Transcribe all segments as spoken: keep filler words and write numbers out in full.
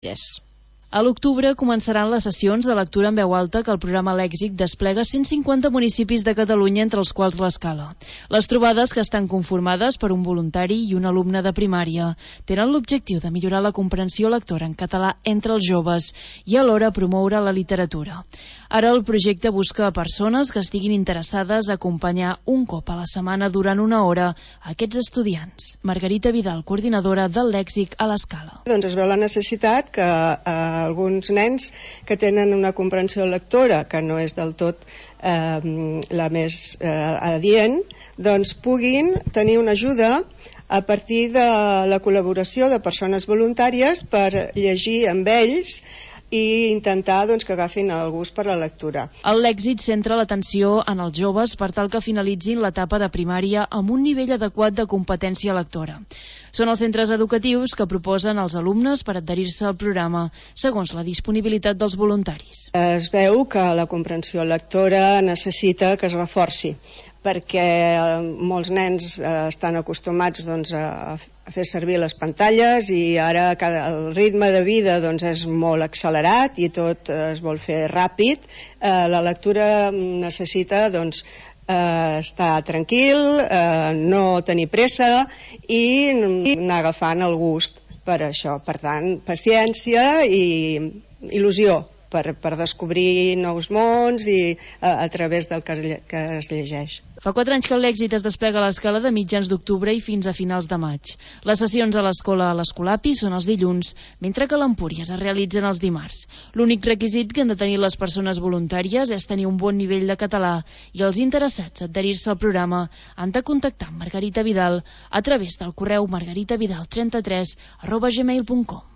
Yes. A l'octubre començaran les sessions de lectura en veu alta que el programa Lèxic desplega cent cinquanta municipis de Catalunya, entre els quals l'Escala. Les trobades, que estan conformades per un voluntari i un alumne de primària, tenen l'objectiu de millorar la comprensió lectora en català entre els joves i alhora promoure la literatura. Ara el projecte busca a persones que estiguin interessades a acompanyar un cop a la setmana durant una hora a aquests estudiants. Margarita Vidal, coordinadora del Lèxic a l'Escala. Doncs es veu la necessitat que eh, alguns nens que tenen una comprensió lectora que no és del tot eh, la més eh, adient, doncs puguin tenir una ajuda a partir de la col·laboració de persones voluntàries per llegir amb ells i intentar doncs, que agafin el gust per la lectura. El Lèxic centra l'atenció en els joves per tal que finalitzin l'etapa de primària amb un nivell adequat de competència lectora. Són els centres educatius que proposen als alumnes per adherir-se al programa, segons la disponibilitat dels voluntaris. Es veu que la comprensió lectora necessita que es reforci, perquè molts nens estan acostumats doncs, a fer servir les pantalles i ara el ritme de vida doncs, és molt accelerat i tot es vol fer ràpid. La lectura necessita doncs, estar tranquil, no tenir pressa i anar agafant el gust per això. Per tant, paciència i il·lusió per, per descobrir nous mons i a, a través del que, que es llegeix. Fa quatre anys que el Lèxic es desplega a l'Escala de mitjans d'octubre i fins a finals de maig. Les sessions a l'escola a l'Escolapi són els dilluns, mentre que a l'Empúries es realitzen els dimarts. L'únic requisit que han de tenir les persones voluntàries és tenir un bon nivell de català i els interessats a adherir-se al programa han de contactar amb Margarita Vidal a través del correu margaritavidal trenta-tres arroba gmail punt com.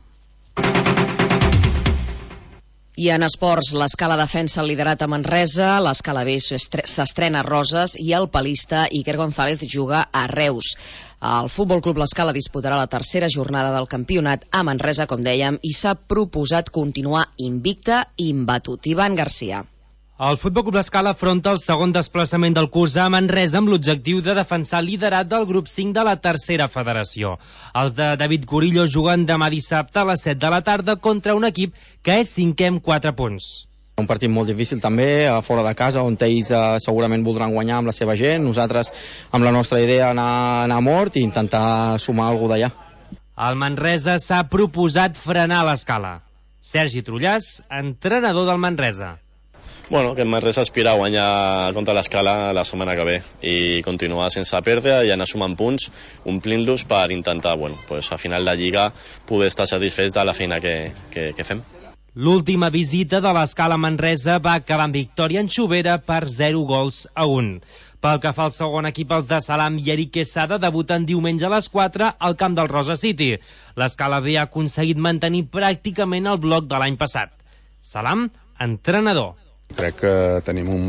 I en esports, l'Escala defensa el liderat a Manresa, l'Escala B s'estrena a Roses i el palista Iker González juga a Reus. El Futbol Club l'Escala disputarà la tercera jornada del campionat a Manresa, com dèiem, i s'ha proposat continuar invicta i imbatut. Ivan Garcia. El Futbol Club l'Escala afronta el segon desplaçament del curs a Manresa amb l'objectiu de defensar el liderat del grup cinc de la tercera federació. Els de David Curillo juguen demà dissabte a les set de la tarda contra un equip que és cinquè amb quatre punts. Un partit molt difícil també, a fora de casa, on ells eh, segurament voldran guanyar amb la seva gent. Nosaltres, amb la nostra idea, anar, anar a mort i intentar sumar alguna d'allà. El Manresa s'ha proposat frenar l'Escala. Sergi Trullàs, entrenador del Manresa. Bueno, que el Manresa aspira a guanyar contra l'Escala la setmana que ve i continuar sense perdre i anar sumant punts, omplint-los per intentar, bueno, pues, a final de Lliga poder estar satisfets de la feina que, que, que fem. L'última visita de l'Escala a Manresa va acabar amb victòria en Xovera per zero gols a un. Pel que fa al segon equip, els de Salam i Eric Quesada debuten diumenge a les quatre al camp del Rosa City. L'Escala B ha aconseguit mantenir pràcticament el bloc de l'any passat. Salam, entrenador. Crec que tenim un